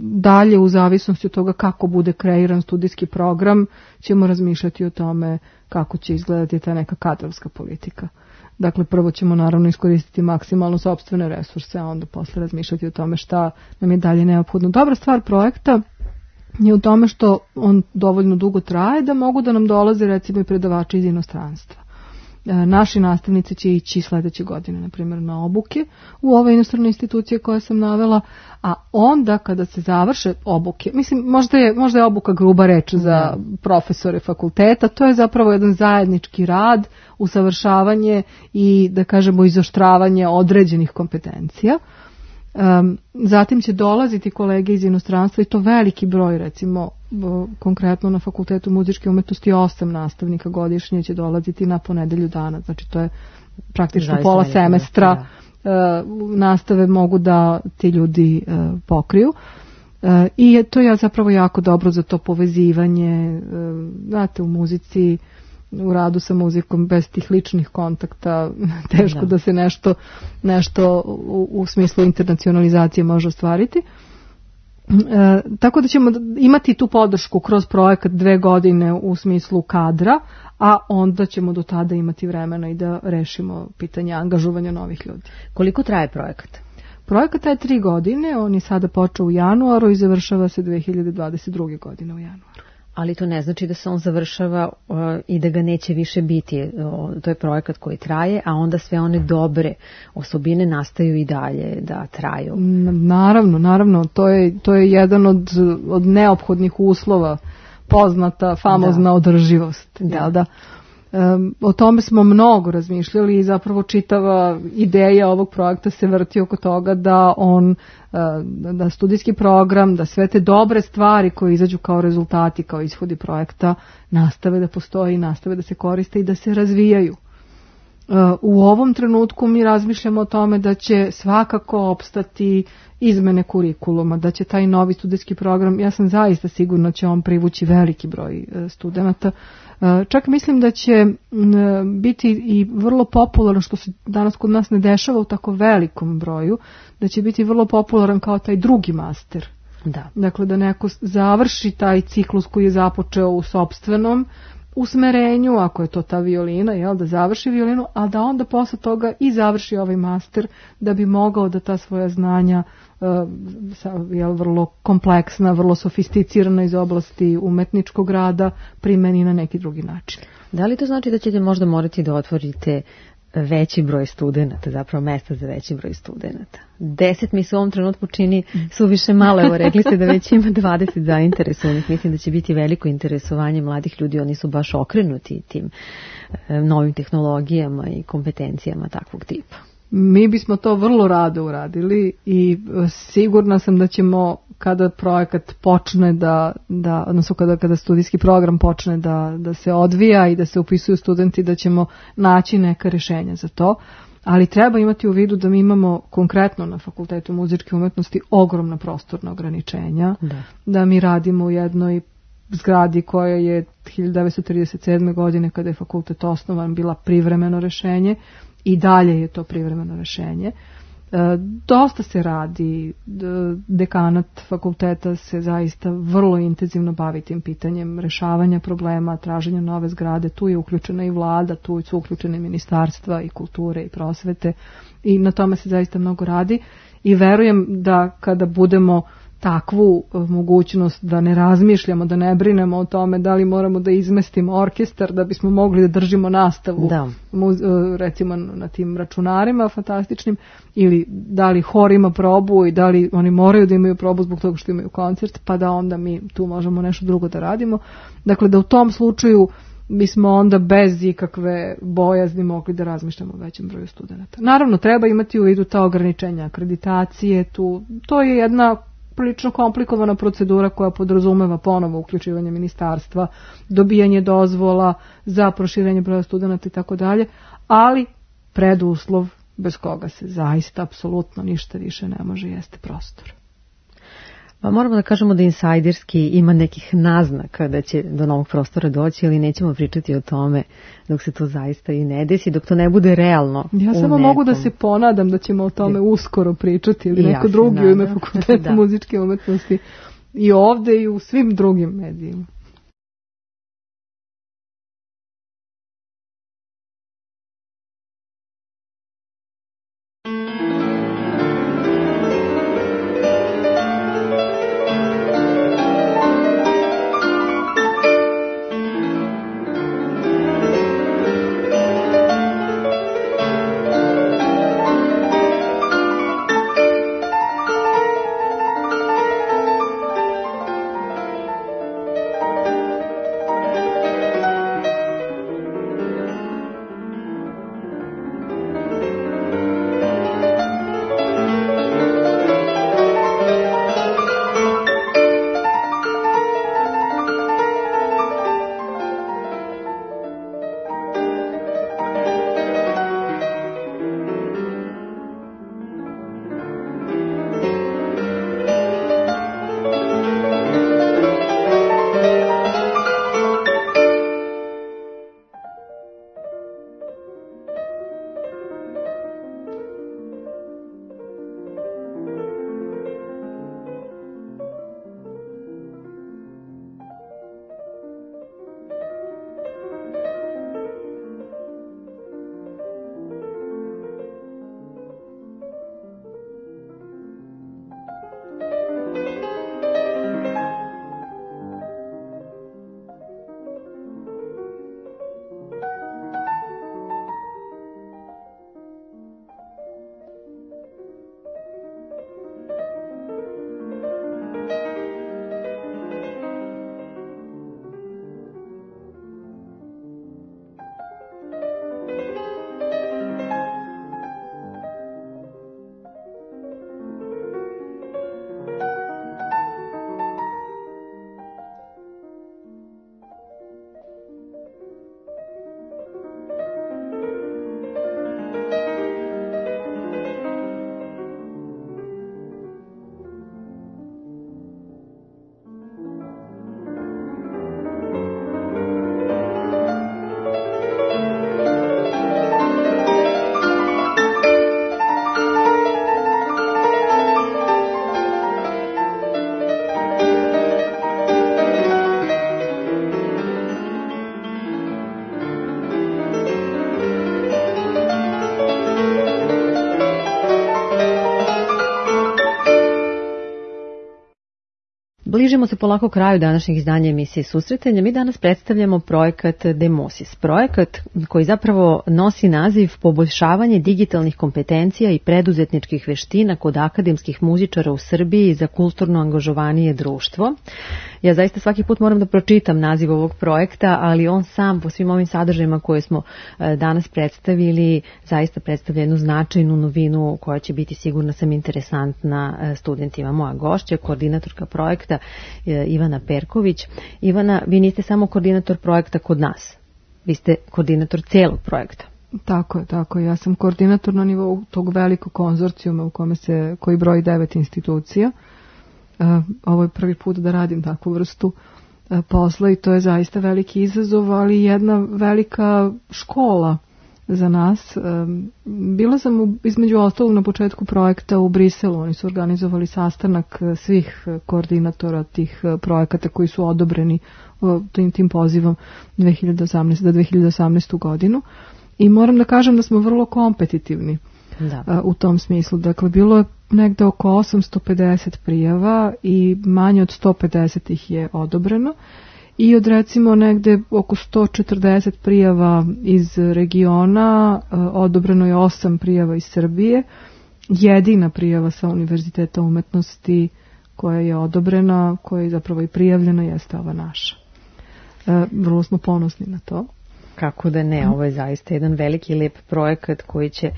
dalje u zavisnosti od toga kako bude kreiran studijski program ćemo razmišljati o tome kako će izgledati ta neka kadrovska politika. Dakle, prvo ćemo naravno iskoristiti maksimalno sopstvene resurse, a onda posle razmišljati o tome šta nam je dalje neophodno. Dobra stvar projekta je u tome što on dovoljno dugo traje da mogu da nam dolaze recimo i predavači iz inostranstva. Naši nastavnici će ići sledeće godine, na primjer, na obuke u ove inostrane institucije koje sam navela, a onda kada se završe obuke, mislim, možda je obuka gruba reč za profesore fakulteta, to je zapravo jedan zajednički rad, usavršavanje i, da kažemo, izoštravanje određenih kompetencija. Zatim će dolaziti kolege iz inostranstva i to veliki broj, recimo konkretno na Fakultetu muzičke umetnosti 8 nastavnika godišnje će dolaziti na ponedelju dana, znači to je praktično pola semestra nastave mogu da ti ljudi pokriju. I to je zapravo jako dobro za to povezivanje, znate, u muzici, u radu sa muzikom bez tih ličnih kontakta teško da se nešto u smislu internacionalizacije može ostvariti. Tako da ćemo imati tu podršku kroz projekat 2 godine u smislu kadra, a onda ćemo do tada imati vremena i da rešimo pitanje angažovanja novih ljudi.
Koliko traje projekat?
Projekat traje 3 godine, on je sada počeo u januaru i završava se 2022. godine u januaru.
Ali to ne znači da se on završava i da ga neće više biti. To je projekat koji traje, a onda sve one dobre osobine nastaju i dalje da traju.
Naravno, to je jedan od neophodnih uslova, poznata, famozna održivost. Da. O tome smo mnogo razmišljali i zapravo čitava ideja ovog projekta se vrti oko toga da studijski program, da sve te dobre stvari koje izađu kao rezultati, kao ishodi projekta nastave da postoji, nastave da se koriste i da se razvijaju. U ovom trenutku mi razmišljamo o tome da će svakako opstati izmene kurikuluma, da će taj novi studijski program, ja sam zaista sigurna će on privući veliki broj studenata. Čak mislim da će biti i vrlo popularan, što se danas kod nas ne dešava u tako velikom broju, da će biti vrlo popularan kao taj drugi master.
Da.
Dakle, da neko završi taj ciklus koji je započeo u sopstvenom usmerenju, ako je to ta violina, da završi violinu, a da onda posle toga i završi ovaj master da bi mogao da ta svoja znanja vrlo kompleksna, vrlo sofisticirana iz oblasti umetničkog rada primeni na neki drugi način.
Da li to znači da ćete možda morati da otvorite veći broj studenata, zapravo mesta za veći broj studenata? 10 mi se u ovom trenutku čini suviše malo. Evo, rekli ste da već ima 20 zainteresovanih. Mislim da će biti veliko interesovanje mladih ljudi. Oni su baš okrenuti tim novim tehnologijama i kompetencijama takvog tipa.
Mi bismo to vrlo rado uradili i sigurna sam da ćemo kada projekat počne odnosno kada studijski program počne da se odvija i da se upisuju studenti, da ćemo naći neka rješenja za to. Ali treba imati u vidu da mi imamo konkretno na Fakultetu muzičke umetnosti ogromna prostorna ograničenja, da mi radimo u jednoj zgradi koja je 1937. godine kada je fakultet osnovan bila privremeno rješenje i dalje je to privremeno rješenje. Dosta se radi, dekanat fakulteta se zaista vrlo intenzivno bavi tim pitanjem rješavanja problema, traženja nove zgrade, tu je uključena i vlada, tu su uključene ministarstva i kulture i prosvete i na tome se zaista mnogo radi i verujem da kada budemo takvu mogućnost da ne razmišljamo, da ne brinemo o tome da li moramo da izmestimo orkestar da bismo mogli da držimo nastavu recimo na tim računarima fantastičnim ili da li hor ima probu i da li oni moraju da imaju probu zbog toga što imaju koncert pa da onda mi tu možemo nešto drugo da radimo. Dakle da u tom slučaju bismo onda bez ikakve bojazni mogli da razmišljamo o većem broju studenata. Naravno treba imati u vidu ta ograničenja akreditacije, to je jedna prilično komplikovana procedura koja podrazumeva ponovo uključivanje ministarstva, dobijanje dozvola za proširenje broja studenata i tako dalje, ali preduslov bez koga se zaista apsolutno ništa više ne može jeste prostor.
Pa moramo da kažemo da insajderski ima nekih naznaka da će do novog prostora doći, ali nećemo pričati o tome dok se to zaista i ne desi, dok to ne bude realno.
Ja samo mogu da se ponadam da ćemo o tome uskoro pričati ili neko drugi u ime Fakulteta muzičke umetnosti i ovde i u svim drugim medijima.
Bližimo se polako kraju današnjeg izdanja emisije Susretanja. Mi danas predstavljamo projekat Demosis. Projekat koji zapravo nosi naziv Poboljšavanje digitalnih kompetencija i preduzetničkih veština kod akademskih muzičara u Srbiji za kulturno angažovanije društvo. Ja zaista svaki put moram da pročitam naziv ovog projekta, ali on sam po svim ovim sadržajima koje smo danas predstavili zaista predstavlja jednu značajnu novinu koja će biti sigurna sam interesantna studentima. Moja gošća, koordinatorka projekta Ivana Perković. Ivana, vi niste samo koordinator projekta kod nas, vi ste koordinator celog projekta.
Tako je. Ja sam koordinator na nivou tog velikog konzorcijuma koji broji 9 institucija. Ovo je prvi put da radim takvu vrstu posla i to je zaista veliki izazov, ali jedna velika škola za nas. Bila sam između ostalog na početku projekta u Briselu. Oni su organizovali sastanak svih koordinatora tih projekata koji su odobreni tim pozivom 2018 za 2018. godinu. I moram da kažem da smo vrlo kompetitivni u tom smislu. Dakle, bilo je negde oko 850 prijava i manje od 150 ih je odobreno. I od recimo negde oko 140 prijava iz regiona, odobreno je 8 prijava iz Srbije. Jedina prijava sa Univerziteta umetnosti koja je odobrena, koja je zapravo i prijavljena, jeste ova naša. Vrlo smo ponosni na to.
Kako da ne, ovo je zaista jedan veliki i lep projekat koji će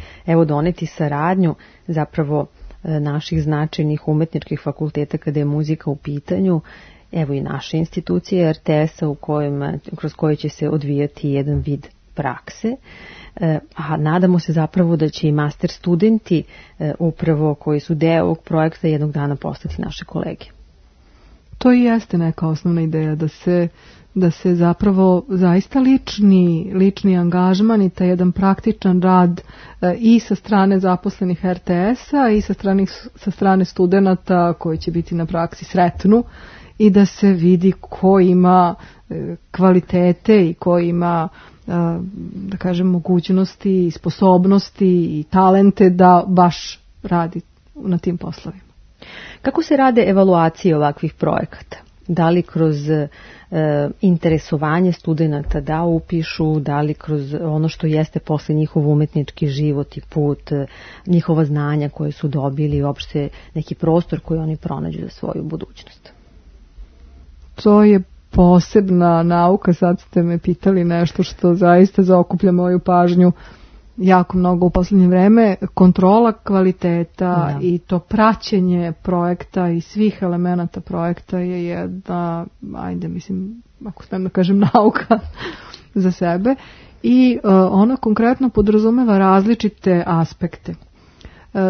doneti saradnju zapravo naših značajnih umetničkih fakulteta kada je muzika u pitanju. Evo i naše institucije RTS-a kroz koje će se odvijati jedan vid prakse, a nadamo se zapravo da će i master studenti upravo koji su deo ovog projekta jednog dana postati naše kolege.
To i jeste neka osnovna ideja, da se zapravo zaista lični angažman i taj jedan praktičan rad i sa strane zaposlenih RTS-a i sa strane studenata koji će biti na praksi sretnu i da se vidi ko ima kvalitete i ko ima, da kažem, mogućnosti i sposobnosti i talente da baš radi na tim poslovima.
Kako se rade evaluacije ovakvih projekata? Da li kroz interesovanje studenta da upišu, da li kroz ono što jeste posle njihov umetnički život i put, njihova znanja koje su dobili i uopšte neki prostor koji oni pronađu za svoju budućnost?
To je posebna nauka, sad ste me pitali nešto što zaista zaokuplja moju pažnju jako mnogo u posljednje vreme. Kontrola kvaliteta i to praćenje projekta i svih elemenata projekta je jedna, ako smijem da kažem, nauka za sebe i ona konkretno podrazumeva različite aspekte.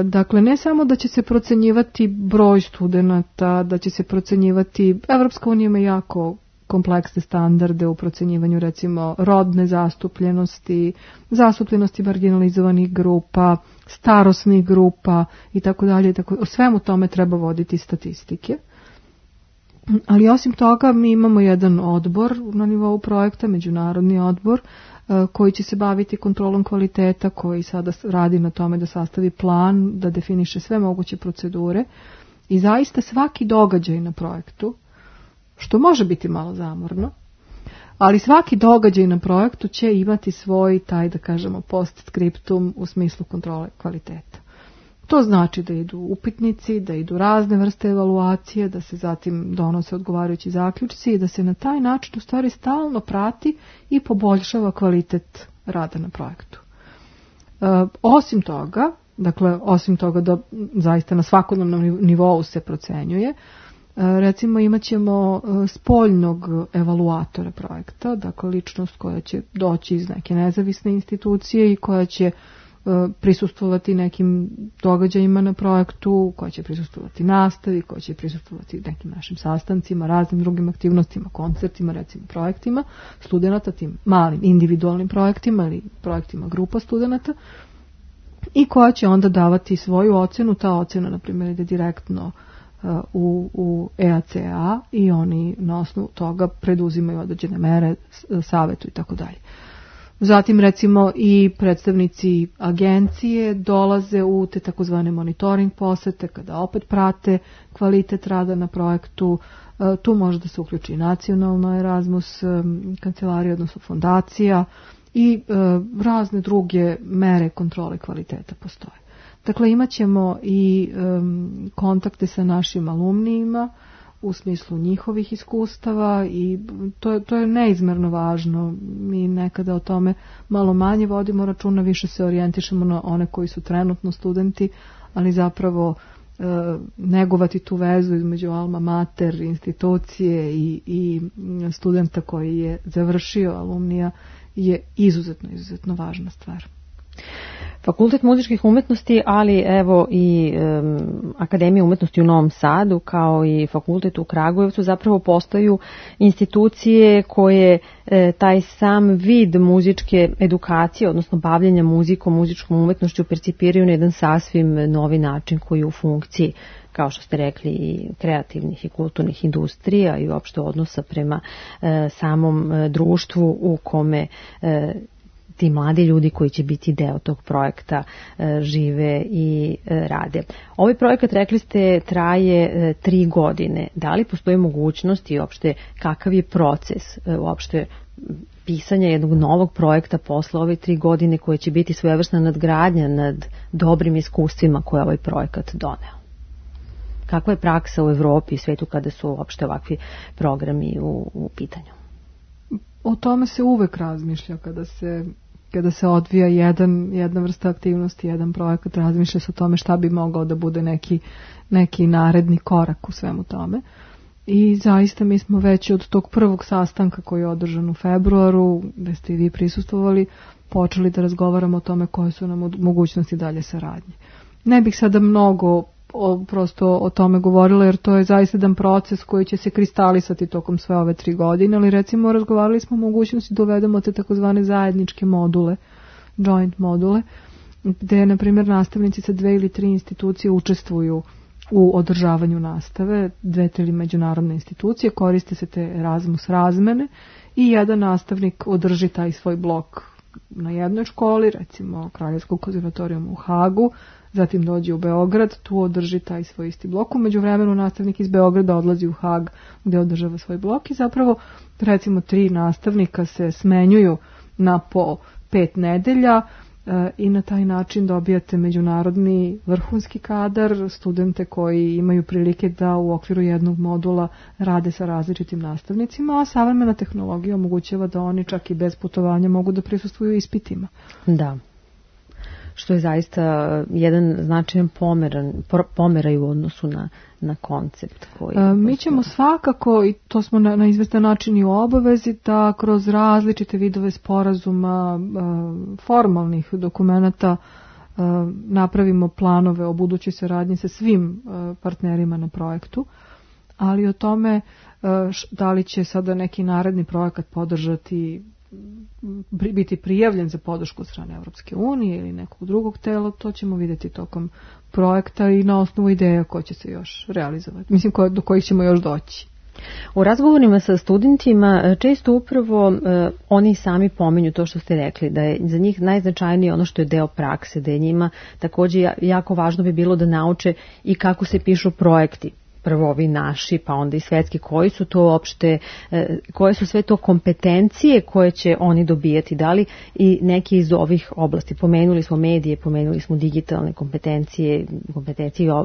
Dakle, ne samo da će se procenjivati broj studenata, da će se procenjivati, Evropska unija ima jako kompleksne standarde u procenjivanju recimo rodne zastupljenosti, zastupljenosti marginalizovanih grupa, starosnih grupa i tako dalje. O svemu tome treba voditi statistike. Ali osim toga mi imamo jedan odbor na nivou projekta, međunarodni odbor, koji će se baviti kontrolom kvaliteta, koji sada radi na tome da sastavi plan, da definiše sve moguće procedure i zaista svaki događaj na projektu, što može biti malo zamorno, ali svaki događaj na projektu će imati svoj, taj da kažemo, postscriptum u smislu kontrole kvaliteta. To znači da idu upitnici, da idu razne vrste evaluacije, da se zatim donose odgovarajući zaključci i da se na taj način u stvari stalno prati i poboljšava kvalitet rada na projektu. Osim toga da zaista na svakodnevnom nivou se procenjuje, recimo imat ćemo spoljnog evaluatora projekta, dakle ličnost koja će doći iz neke nezavisne institucije i koja će prisustvovati nekim događajima na projektu, koja će prisustvovati nastavi, koja će prisustvovati nekim našim sastancima, raznim drugim aktivnostima, koncertima, recimo projektima studenata, tim malim individualnim projektima ili projektima grupa studenata i koja će onda davati svoju ocjenu. Ta ocjena, na primjer, ide direktno u EACA i oni na osnovu toga preduzimaju određene mere, savjetu i tako dalje. Zatim recimo i predstavnici agencije dolaze u te takozvane monitoring posete kada opet prate kvalitet rada na projektu. Tu može da se uključi nacionalna Erasmus kancelarija, odnosno fondacija i razne druge mere kontrole kvaliteta postoje. Dakle, imat ćemo i kontakte sa našim alumnijima u smislu njihovih iskustava i to je neizmerno važno. Mi nekada o tome malo manje vodimo računa, više se orijentišemo na one koji su trenutno studenti, ali zapravo negovati tu vezu između alma mater, institucije i studenta koji je završio alumnija je izuzetno važna stvar.
Fakultet muzičkih umetnosti, ali evo i Akademija umetnosti u Novom Sadu, kao i fakultet u Kragujevcu, zapravo postaju institucije koje taj sam vid muzičke edukacije, odnosno bavljenja muzikom, muzičkom umetnošću percipiraju na jedan sasvim novi način koji je u funkciji, kao što ste rekli, i kreativnih i kulturnih industrija i uopšte odnosa prema samom društvu u kome ti mladi ljudi koji će biti deo tog projekta žive i rade. Ovaj projekat, rekli ste, traje 3 godine. Da li postoji mogućnost i uopšte kakav je proces uopšte pisanja jednog novog projekta posle ove 3 godine koje će biti svojevrsna nadgradnja nad dobrim iskustvima koje ovaj projekat doneo? Kakva je praksa u Evropi i svetu kada su uopšte ovakvi programi u pitanju?
O tome se uvek razmišlja kada se odvija jedna vrsta aktivnosti, jedan projekat, razmišlja se o tome šta bi mogao da bude neki naredni korak u svemu tome. I zaista mi smo već od tog prvog sastanka koji je održan u februaru, gde ste i vi prisustvovali, počeli da razgovaramo o tome koje su nam mogućnosti dalje saradnje. Ne bih sada mnogo prosto o tome govorila, jer to je zaista jedan proces koji će se kristalisati tokom sve ove 3 godine, ali recimo razgovarali smo o mogućnosti da uvedemo te takozvane zajedničke module, joint module, gde, na primjer, nastavnici sa 2 ili 3 institucije učestvuju u održavanju nastave, 2 ili međunarodne institucije, koriste se te Erasmus razmene i jedan nastavnik održi taj svoj blok na jednoj školi, recimo Kraljevskog konzervatorijuma u Hagu, zatim dođe u Beograd, tu održi taj svoj isti blok. U međuvremenu nastavnik iz Beograda odlazi u Hag gde održava svoj blok i zapravo recimo 3 nastavnika se smenjuju na po 5 nedelja i na taj način dobijate međunarodni vrhunski kadar, studente koji imaju prilike da u okviru jednog modula rade sa različitim nastavnicima, a savremena tehnologija omogućava da oni čak i bez putovanja mogu da prisustvuju ispitima.
Da. Što je zaista jedan značajan pomeraj u odnosu na koncept koji...
Mi ćemo svakako, i to smo na izvestan način i u obavezi, da kroz različite vidove sporazuma, formalnih dokumenata napravimo planove o budućoj saradnji sa svim partnerima na projektu, ali o tome da li će sada neki naredni projekat podržati, biti prijavljen za podršku od strane Evropske unije ili nekog drugog tela, to ćemo vidjeti tokom projekta i na osnovu ideja koje će se još realizovati. Mislim, do kojih ćemo još doći.
U razgovorima sa studentima često upravo oni sami pominju to što ste rekli, da je za njih najznačajnije ono što je deo prakse, da je njima također jako važno bi bilo da nauče i kako se pišu projekti. Prvo ovi naši, pa onda i svetski, koji su to uopšte, koje su sve to kompetencije koje će oni dobijati, da li i neki iz ovih oblasti. Pomenuli smo medije, pomenuli smo digitalne kompetencije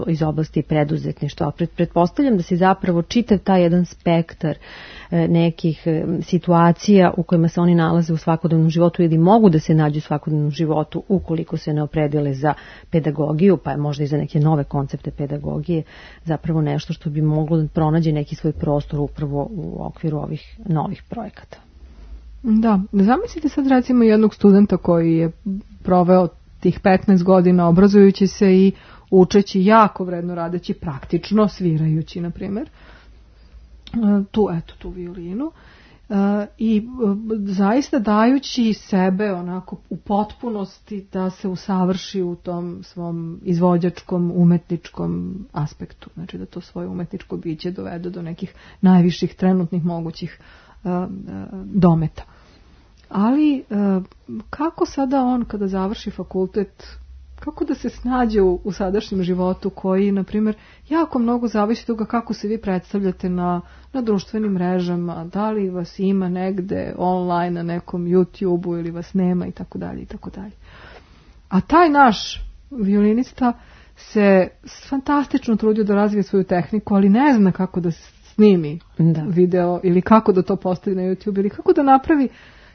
iz oblasti preduzetništva. Pretpostavljam da se zapravo čitav taj jedan spektar nekih situacija u kojima se oni nalaze u svakodnevnom životu ili mogu da se nađu u svakodnevnom životu ukoliko se ne opredele za pedagogiju, pa je možda i za neke nove koncepte pedagogije, zapravo nešto što bi moglo da pronađe neki svoj prostor upravo u okviru ovih novih projekata.
Da, zamislite sad recimo jednog studenta koji je proveo tih 15 godina obrazujući se i učeći jako vredno, radeći praktično, svirajući, na primjer, tu violinu, i zaista dajući sebe onako u potpunosti da se usavrši u tom svom izvođačkom, umetničkom aspektu, znači da to svoje umetničko biće dovede do nekih najviših trenutnih mogućih dometa. Ali kako sada on kada završi fakultet, kako da se snađe u sadašnjem životu koji, na primjer, jako mnogo zavisi toga kako se vi predstavljate na društvenim mrežama, da li vas ima negde online na nekom YouTube-u ili vas nema i tako dalje i tako dalje. A taj naš violinista se fantastično trudio da razvije svoju tehniku, ali ne zna kako da snimi video ili kako da to postavi na YouTube ili kako da napravi.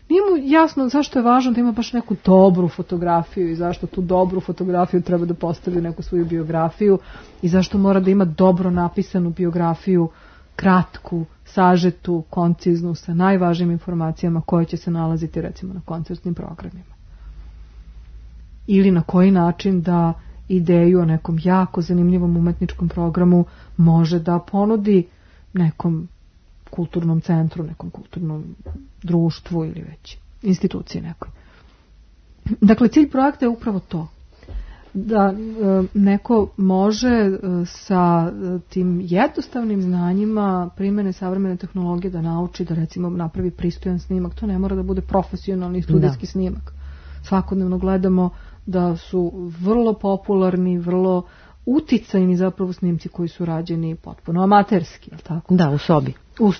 Nije mu jasno zašto je važno da ima baš neku dobru fotografiju i zašto tu dobru fotografiju treba da postavi neku svoju biografiju i zašto mora da ima dobro napisanu biografiju, kratku, sažetu, konciznu, sa najvažnijim informacijama koje će se nalaziti recimo na koncertnim programima. Ili na koji način da ideju o nekom jako zanimljivom umetničkom programu može da ponudi nekom kulturnom centru, nekom kulturnom društvu ili već instituciji nekoj. Dakle, cilj projekta je upravo to. Da neko može sa tim jednostavnim znanjima primjene savremene tehnologije da nauči da recimo napravi pristojan snimak. To ne mora da bude profesionalni studijski snimak. Svakodnevno gledamo da su vrlo popularni, vrlo uticajni zapravo snimci koji su rađeni potpuno amaterski, je li tako?
Da, u sobi.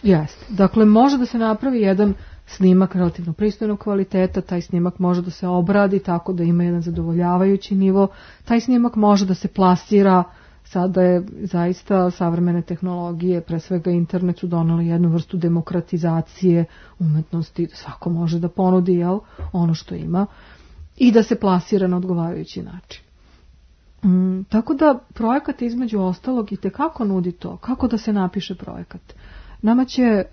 Jeste. Dakle, može da se napravi jedan snimak relativno pristojnog kvaliteta, taj snimak može da se obradi tako da ima jedan zadovoljavajući nivo, taj snimak može da se plasira, sada je zaista savremene tehnologije, pre svega internet su doneli jednu vrstu demokratizacije umetnosti, da svako može da ponudi ono što ima i da se plasira na odgovarajući način. Tako da projekat između ostalog i tekako nudi to, kako da se napiše projekat. Nama će,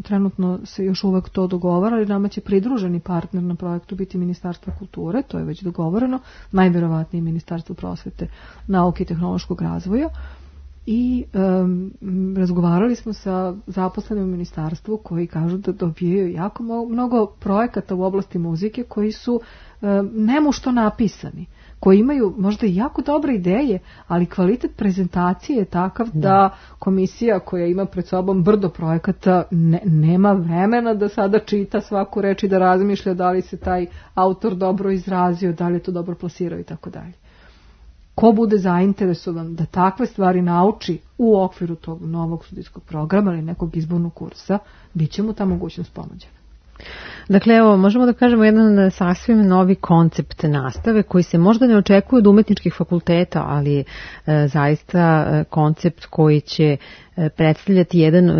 trenutno se još uvek to dogovara, ali nama će pridruženi partner na projektu biti Ministarstvo kulture, to je već dogovoreno, najverovatnije Ministarstvo prosvete, nauke i tehnološkog razvoja. I razgovarali smo sa zaposlenim u ministarstvu koji kažu da dobijaju jako mnogo projekata u oblasti muzike koji su nemušto napisani, koji imaju možda i jako dobre ideje, ali kvalitet prezentacije je takav da komisija koja ima pred sobom brdo projekata nema vremena da sada čita svaku reč i da razmišlja da li se taj autor dobro izrazio, da li je to dobro plasirao i tako dalje. Ko bude zainteresovan da takve stvari nauči u okviru tog novog studijskog programa ili nekog izbornog kursa, bit će mu ta mogućnost ponuđena.
Dakle, evo, možemo da kažemo jedan sasvim novi koncept nastave koji se možda ne očekuje od umetničkih fakulteta, ali zaista koncept koji će predstavljati jedan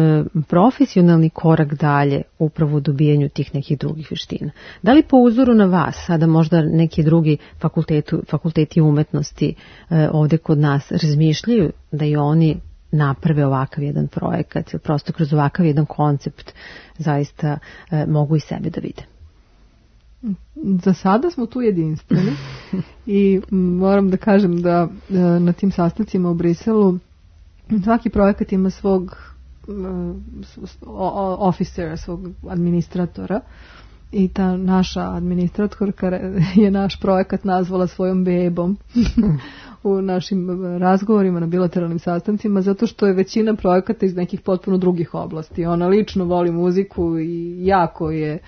profesionalni korak dalje upravo u dobijanju tih nekih drugih veština. Da li po uzoru na vas, sada možda neki drugi fakulteti umetnosti ovde kod nas razmišljaju da i oni naprave ovakav jedan projekat, prosto kroz ovakav jedan koncept zaista mogu i sebe da vide?
Za sada smo tu jedinstveni i moram da kažem da na tim sastancima u Briselu svaki projekat ima svog officera, svog administratora i ta naša administratorka je naš projekat nazvala svojom bebom u našim razgovorima na bilateralnim sastancima, zato što je većina projekata iz nekih potpuno drugih oblasti. Ona lično voli muziku i jako je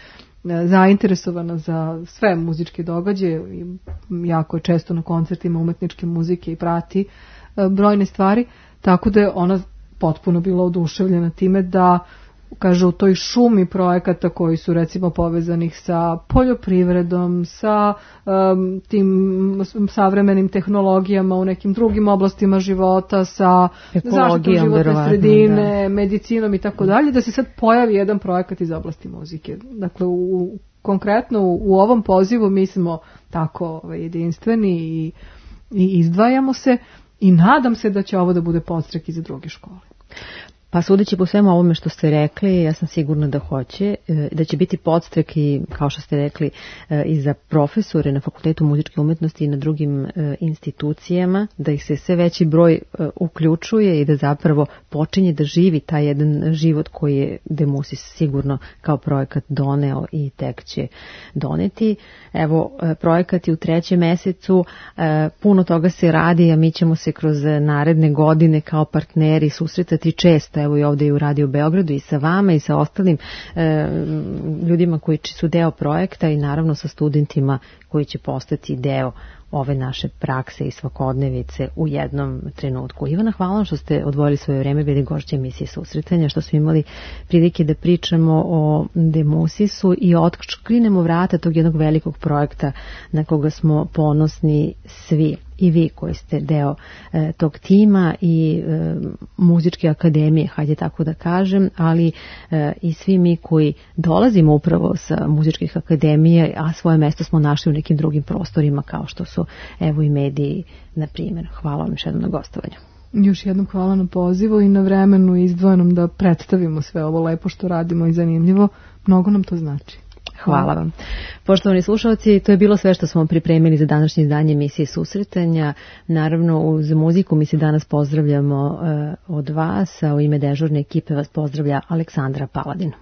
zainteresovana za sve muzičke događaje i jako je često na koncertima umetničke muzike i prati brojne stvari, tako da je ona potpuno bila oduševljena time da kaže u toj šumi projekata koji su recimo povezanih sa poljoprivredom, sa tim savremenim tehnologijama u nekim drugim oblastima života, sa zaštitom životne sredine, medicinom i tako dalje, da se sad pojavi jedan projekat iz oblasti muzike. Dakle, konkretno u ovom pozivu mi smo tako jedinstveni i izdvajamo se i nadam se da će ovo da bude podstrek i za druge škole.
Pa sudeći po svemu ovome što ste rekli, ja sam sigurna da hoće, da će biti podstrek i, kao što ste rekli, i za profesore na Fakultetu muzičke umetnosti i na drugim institucijama, da ih se sve veći broj uključuje i da zapravo počinje da živi taj jedan život koji je Demusis sigurno kao projekat doneo i tek će doneti. Evo, projekat je u 3. mesecu, puno toga se radi, a mi ćemo se kroz naredne godine kao partneri susretati često, evo i ovdje i u Radio Beogradu i sa vama i sa ostalim ljudima koji su deo projekta i naravno sa studentima koji će postati deo ove naše prakse i svakodnevice u jednom trenutku. Ivana, hvala vam što ste odvojili svoje vreme, bili gošće emisije Susretanja, što smo imali prilike da pričamo o Demusisu i otkrinemo vrata tog jednog velikog projekta na koga smo ponosni svi. I vi koji ste deo tog tima i muzičke akademije, hajde tako da kažem, ali i svi mi koji dolazimo upravo sa muzičkih akademija, a svoje mesto smo našli u nekim drugim prostorima kao što su evo i mediji, na primjer. Hvala vam još jednom na gostovanju.
Još jednom hvala na pozivu i na vremenu izdvojenom da predstavimo sve ovo lepo što radimo i zanimljivo. Mnogo nam to znači.
Hvala vam. Poštovani slušalci, to je bilo sve što smo pripremili za današnje izdanje emisije Susretanja. Naravno, uz muziku mi se danas pozdravljamo od vas, a u ime dežurne ekipe vas pozdravlja Aleksandra Paladin.